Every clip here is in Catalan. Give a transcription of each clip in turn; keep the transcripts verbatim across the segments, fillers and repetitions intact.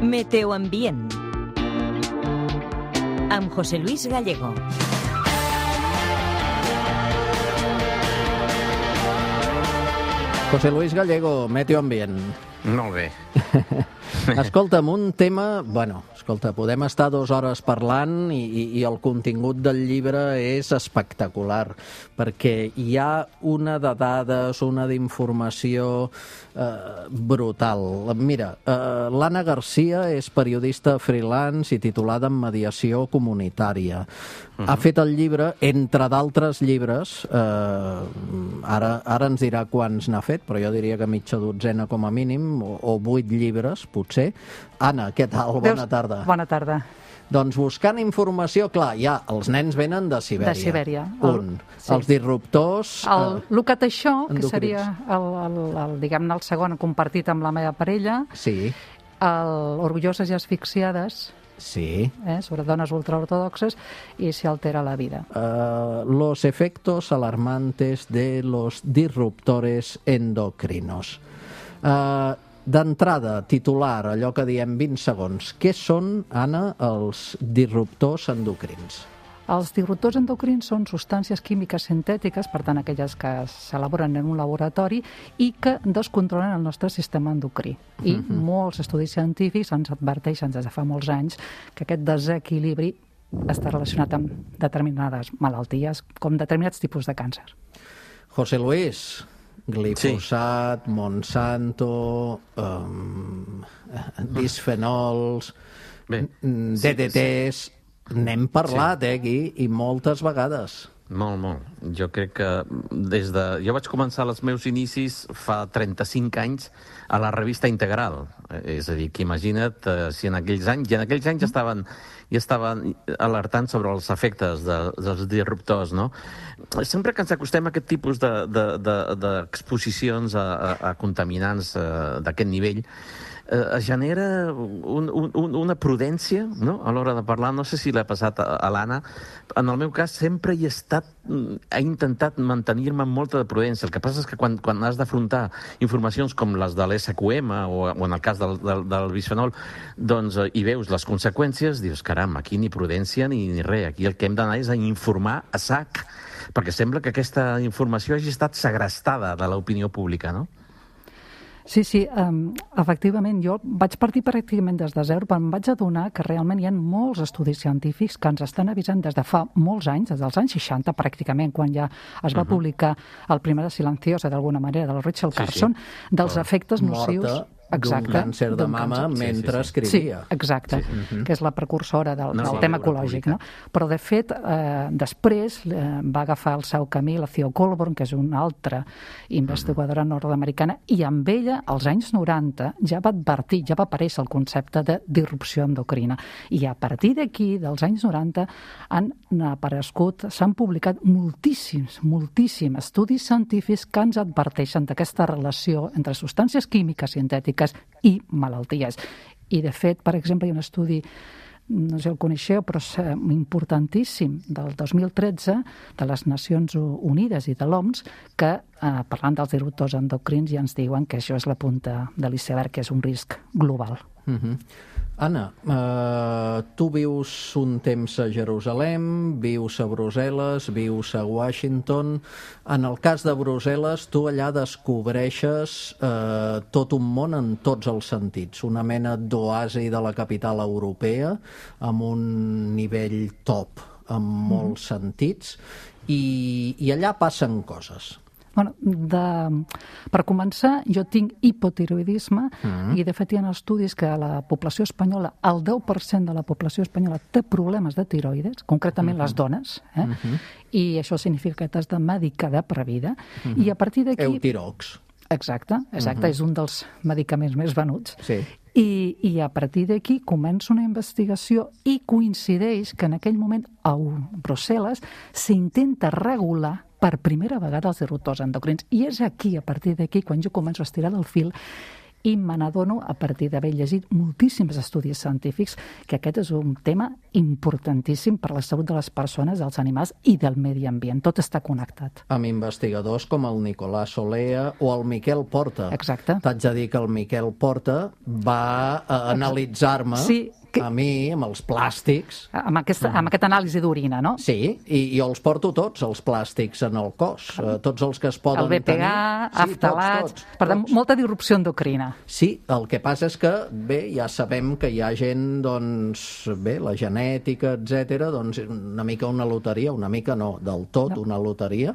Meteoambient amb José Luis Gallego. José Luis Gallego, Meteoambient. Molt bé. Escolta'm, un tema... Bueno, escolta, podem estar dues hores parlant i, i, i el contingut del llibre és espectacular, perquè hi ha una de dades, una d'informació eh, brutal. Mira, eh, l'Anna Garcia és periodista freelance i titulada en mediació comunitària. Uh-huh. Ha fet el llibre, entre d'altres llibres, eh, ara, ara ens dirà quants n'ha fet, però jo diria que mitja dotzena com a mínim, o, o vuit llibres, potser. Anna, què tal? Bona tarda. Bona tarda. Doncs buscant informació, clar, ja, els nens venen de Sibèria. De Sibèria. Un. Sí. Els disruptors... El eh, Lucat això, que endocrins. seria el, el, el, diguem-ne, el segon compartit amb la meva parella. Sí. El Orgulloses i asfixiades, Sí. eh, sobre dones ultraortodoxes, i si altera la vida. Uh, los efectos alarmantes de los disruptores endocrinos. Uh, D'entrada, titular, allò que diem vint segons. Què són, Anna, els disruptors endocrins? Els disruptors endocrins són substàncies químiques sintètiques, per tant, aquelles que s'elaboren en un laboratori i que descontrolen el nostre sistema endocrí. I uh-huh. molts estudis científics ens adverteixen des de fa molts anys que aquest desequilibri està relacionat amb determinades malalties, com determinats tipus de càncer. José Luis, glifosat, sí. Monsanto, um, bisfenols, Bé, D D Ts... Sí. N'hem parlat, sí. eh, aquí, i moltes vegades. Molt, molt. Jo crec que des de... Jo vaig començar els meus inicis fa trenta-cinc anys a la revista Integral. És a dir, que imagina't eh, si en aquells anys... I en aquells anys ja estaven, ja estaven alertant sobre els efectes de, dels disruptors, no? Sempre que ens acostem a aquest tipus d'exposicions de, de, de, a, a, a contaminants eh, d'aquest nivell, es genera un, un, una prudència, no?, a l'hora de parlar. No sé si l'ha passat a, a l'Anna. En el meu cas sempre hi he estat, he intentat mantenir-me amb molta de prudència. El que passa és que quan, quan has d'afrontar informacions com les de l'S Q M o, o en el cas del, del, del bisfenol, doncs hi veus les conseqüències, dius, caram, aquí ni prudència ni, ni res. Aquí el que hem d'anar és a informar a sac, perquè sembla que aquesta informació hagi estat segrestada de l'opinió pública, no? Sí, sí, um, efectivament, jo vaig partir pràcticament des de zero, però em vaig adonar que realment hi ha molts estudis científics que ens estan avisant des de fa molts anys, des dels anys seixanta pràcticament, quan ja es va uh-huh. publicar el primer de Silenciosa, d'alguna manera, del Rachel Carson, sí, sí. dels oh. efectes nocius... Morta. Exacte, d'un càncer de mama càncer. mentre sí, sí, sí. escrivia. Sí, exacte, sí, sí. Uh-huh. que és la precursora del, no, del sí, tema ecològic. No? Però, de fet, eh, després eh, va agafar el seu camí la Theo Colborn, que és una altra investigadora uh-huh. nord-americana, i amb ella, als anys noranta, ja va advertir, ja va aparèixer el concepte de disrupció endocrina. I a partir d'aquí, dels anys noranta, han aparegut, s'han publicat moltíssims, moltíssims estudis científics que ens adverteixen d'aquesta relació entre substàncies químiques sintètiques i malalties. I, de fet, per exemple, hi ha un estudi, no sé si el coneixeu, però és importantíssim, del dos mil tretze, de les Nacions Unides i de l'O M S, que, eh, parlant dels disruptors endocrins, ja ens diuen que això és la punta de l'iceberg, que és un risc global. Uh-huh. Anna, eh, tu vius un temps a Jerusalem, vius a Brussel·les, vius a Washington. En el cas de Brussel·les, tu allà descobreixes eh, tot un món en tots els sentits, una mena d'oasi de la capital europea, amb un nivell top en molts mm. sentits, i, i allà passen coses. Bueno, de, per començar, jo tinc hipotiroidisme mm. i, de fet, hi ha estudis que la població espanyola, el deu per cent de la població espanyola té problemes de tiroides, concretament mm-hmm. les dones, eh? Mm-hmm. i això significa que t'has de medicar de previda, mm-hmm. i a partir d'aquí... Eutirox. Exacte, exacte, mm-hmm. és un dels medicaments més venuts. Sí. I, i a partir d'aquí comença una investigació i coincideix que en aquell moment a Brussel·les s'intenta regular per primera vegada els disruptors endocrins. I és aquí, a partir d'aquí, quan jo començo a estirar del fil i me n'adono, a partir d'haver llegit moltíssims estudis científics, que aquest és un tema importantíssim per a la salut de les persones, dels animals i del medi ambient. Tot està connectat. Amb investigadors com el Nicolás Olea o el Miquel Porta. Exacte. T'haig de dir que el Miquel Porta va a analitzar-me sí, que... a mi amb els plàstics. Amb, aquesta, amb aquest anàlisi d'orina, no? Sí, i, i els porto tots, els plàstics, en el cos. Uh, tots els que es poden tenir. El B P A, tenir. aftalats... Sí, tots, tots, per tant, tots. molta disrupció endocrina. Sí, el que passa és que, bé, ja sabem que hi ha gent, doncs, bé, la genètica, etcètera, doncs una mica una loteria, una mica no, del tot no. una loteria,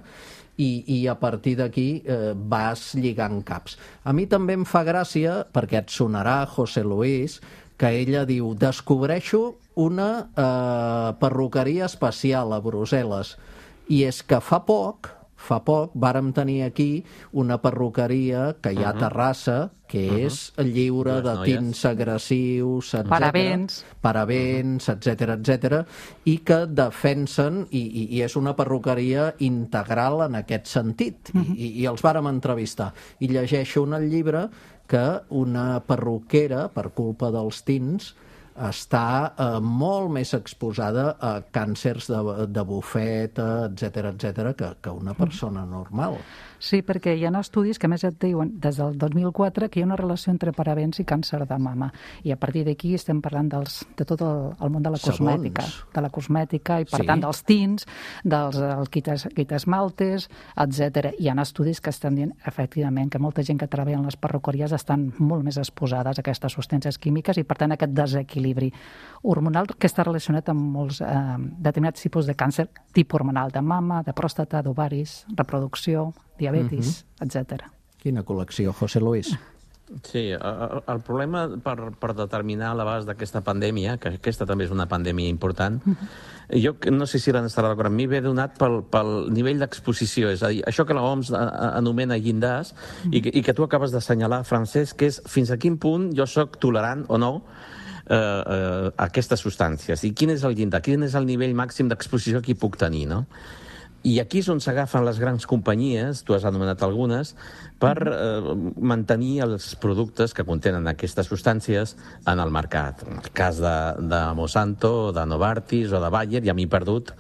i, i a partir d'aquí eh, vas lligant caps. A mi també em fa gràcia, perquè et sonarà, José Luis, que ella diu, descobreixo una eh, perruqueria especial a Brussel·les. I és que fa poc, fa poc, vàrem tenir aquí una perruqueria que hi ha a Terrassa, que uh -huh. és lliure de tints agressius, etcètera. Parabens. Parabens, etcètera, etcètera, i que defensen, i, i, i és una perruqueria integral en aquest sentit. Uh -huh. I, I els vàrem entrevistar. I llegeixo en el llibre que una perruquera, per culpa dels tints, està eh, molt més exposada a càncers de, de bufeta, etcètera, etcètera, que, que una persona normal. Sí, perquè hi ha estudis que a més et diuen des del dos mil quatre que hi ha una relació entre parabens i càncer de mama. I a partir d'aquí estem parlant dels, de tot el, el món de la cosmètica. Segons. De la cosmètica i, per sí. tant, dels tints, dels quites, quitesmaltes, etcètera. Hi ha estudis que estan dient, efectivament, que molta gent que treballa en les perruqueries estan molt més exposades a aquestes substàncies químiques i, per tant, aquest desequilibri hormonal que està relacionat amb molts eh, determinats tipus de càncer, tipus hormonal de mama, de pròstata, d'ovaris, reproducció, diabetis, uh-huh. etcètera. Quina col·lecció, José Luis? Sí, el, el problema per, per determinar l'abast d'aquesta pandèmia, que aquesta també és una pandèmia important, uh-huh. jo no sé si l'han estarà d'acord amb mi, ve donat pel, pel nivell d'exposició, és a dir, això que l'O M S anomena llindars, uh-huh. i, que, i que tu acabes d'assenyalar, Francesc, que és fins a quin punt jo sóc tolerant o no eh, eh, a aquestes substàncies, i quin és el llindar, quin és el nivell màxim d'exposició que hi puc tenir, no? I aquí és on s'agafen les grans companyies, tu has anomenat algunes, per eh, mantenir els productes que contenen aquestes substàncies en el mercat. En el cas de, de Monsanto, de Novartis o de Bayer, ja m'he perdut,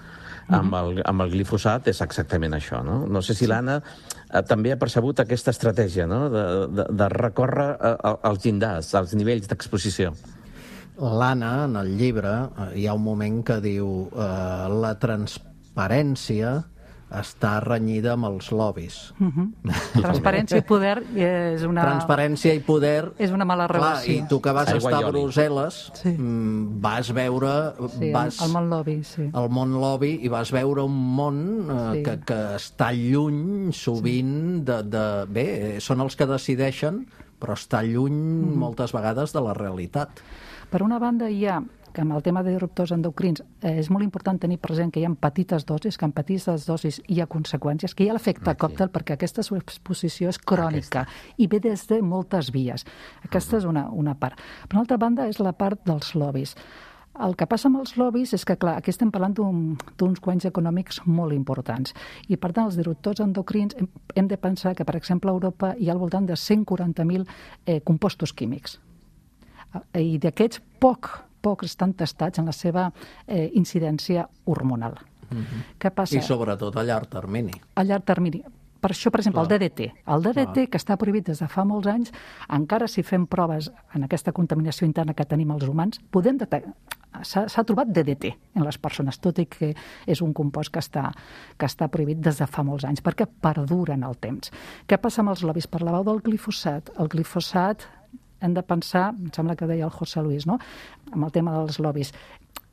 amb el, amb el glifosat és exactament això, no? No sé si l'Anna eh, també ha percebut aquesta estratègia, no?, de, de, de recórrer als llindars, als nivells d'exposició. L'Anna, en el llibre, hi ha un moment que diu eh, la transparència està renyida amb els lobbies. Uh-huh. Transparència i poder és una... Transparència i poder... És una mala relació. Clar, i tu que vas estar a Brussel·les, sí. vas veure... Sí, vas, el món lobby, sí. El món lobby, i vas veure un món eh, sí. que, que està lluny, sovint, sí. de, de... Bé, són els que decideixen, però està lluny mm. moltes vegades de la realitat. Per una banda, hi ha que amb el tema de disruptors endocrins eh, és molt important tenir present que hi ha petites dosis, que en petites dosis hi ha conseqüències, que hi ha l'efecte okay. còctel, perquè aquesta exposició és crònica aquesta. I ve des de moltes vies. Aquesta uh-huh. és una, una part. Per una altra banda, és la part dels lobbies. El que passa amb els lobbies és que, clar, aquí estem parlant d'uns guanys econòmics molt importants. I, per tant, els disruptors endocrins hem, hem de pensar que, per exemple, a Europa hi ha al voltant de cent quaranta mil eh, compostos químics. I d'aquests, poc pocs estan testats en la seva eh, incidència hormonal. Uh-huh. Què passa? I sobretot a llarg termini. A llarg termini. Per això, per exemple, Clar. el D D T. El D D T, Clar. que està prohibit des de fa molts anys, encara si fem proves en aquesta contaminació interna que tenim els humans, podem detectar... S'ha trobat D D T en les persones, tot i que és un compost que està, que està prohibit des de fa molts anys, perquè perdura en el temps. Què passa amb els lobbies? Parlàveu del glifosat. El glifosat hem de pensar, em sembla que deia el José Luis, no?, amb el tema dels lobbies.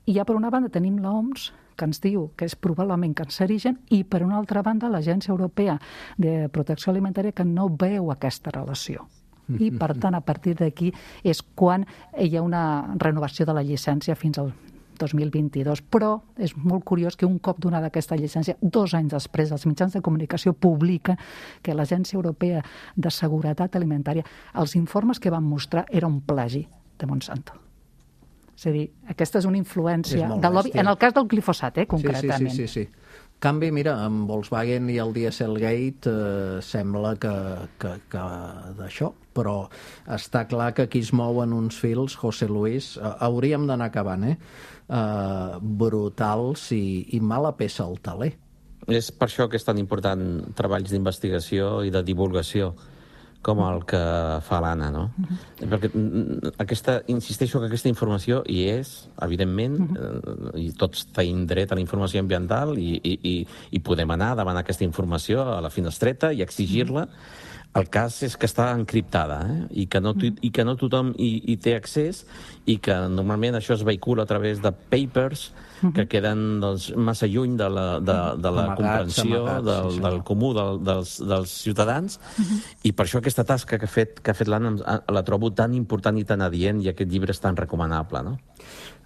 I ja per una banda tenim l'O M S, que ens diu que és probablement cancerigen, i per una altra banda l'Agència Europea de Protecció Alimentària, que no veu aquesta relació. I, per tant, a partir d'aquí és quan hi ha una renovació de la llicència fins al dos mil vint-i-dos. Però és molt curiós que un cop donada aquesta llicència, dos anys després, els mitjans de comunicació publiquen que l'Agència Europea de Seguretat Alimentària, els informes que van mostrar era un plagi de Monsanto. És a dir, aquesta és una influència és del lobby, en el cas del glifosat, eh, concretament. Sí, sí, sí, sí, sí. canvi, mira, amb Volkswagen i el Dieselgate eh, sembla que, que, que d'això, però està clar que aquí es mouen uns fils, José Luis, eh, hauríem d'anar acabant, eh? eh brutals i, i mala peça al taler. És per això que és tan important treballs d'investigació i de divulgació com el que fa l'Anna, no? Uh-huh. Perquè aquesta, insisteixo que aquesta informació hi és, evidentment, uh-huh. eh, i tots tenim dret a la informació ambiental i, i, i, i podem anar davant aquesta informació a la finestreta i exigir-la. El cas és que està encriptada, eh? I, que no, i que no tothom hi, hi té accés i que normalment això es vehicula a través de papers que queden doncs, massa lluny de la, de, de la amagats, comprensió amagats, del, sí, del comú del, dels, dels ciutadans uh-huh. i per això aquesta tasca que ha fet, que ha fet l'Anna la trobo tan important i tan adient i aquest llibre és tan recomanable, no?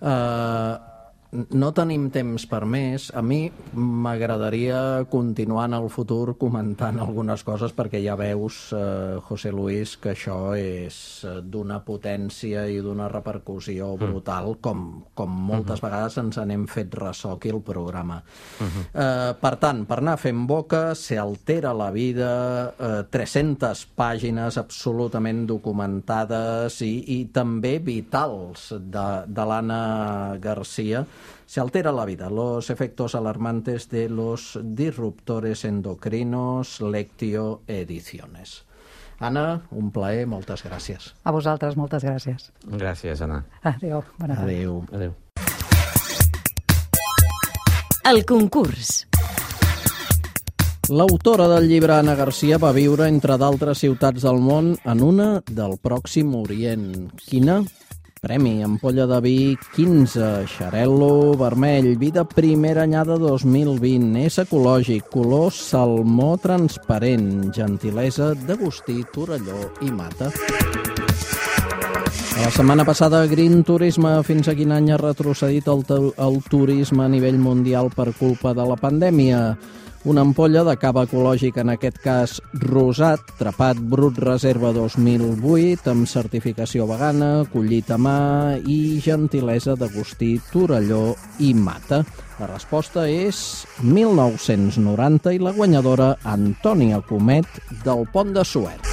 Uh... No tenim temps per més. A mi m'agradaria continuar en el futur comentant algunes coses perquè ja veus, eh, José Luis, que això és d'una potència i d'una repercussió brutal, com, com moltes uh-huh. vegades ens n'hem fet ressò aquí al programa. Uh-huh. Eh, per tant, per anar fent boca, se altera la vida, eh, tres-centes pàgines absolutament documentades i, i també vitals de, de l'Anna García. Se altera la vida, los efectos alarmantes de los disruptores endocrinos, Lectio Ediciones. Anna, un plaer, moltes gràcies. A vosaltres, moltes gràcies. Gràcies, Anna. Adéu. Bona tarda. Adéu. Adéu. El concurs. L'autora del llibre, Anna García, va viure, entre d'altres ciutats del món, en una del Pròxim Orient. Quina? Premi Ampolla de vi quinze, Xarel·lo vermell, vi de primera anyada dos mil vint, és ecològic, color salmó transparent, gentilesa d'Agustí, Torelló i Mata. La setmana passada, Green Turisme, fins a quin any ha retrocedit el, el turisme a nivell mundial per culpa de la pandèmia? Una ampolla de cava ecològic, en aquest cas rosat, Trepat Brut Reserva dos mil vuit, amb certificació vegana, collit a mà i gentilesa d'Agustí, Torelló i Mata. La resposta és mil nou-cents noranta i la guanyadora Antònia Comet del Pont de Suert.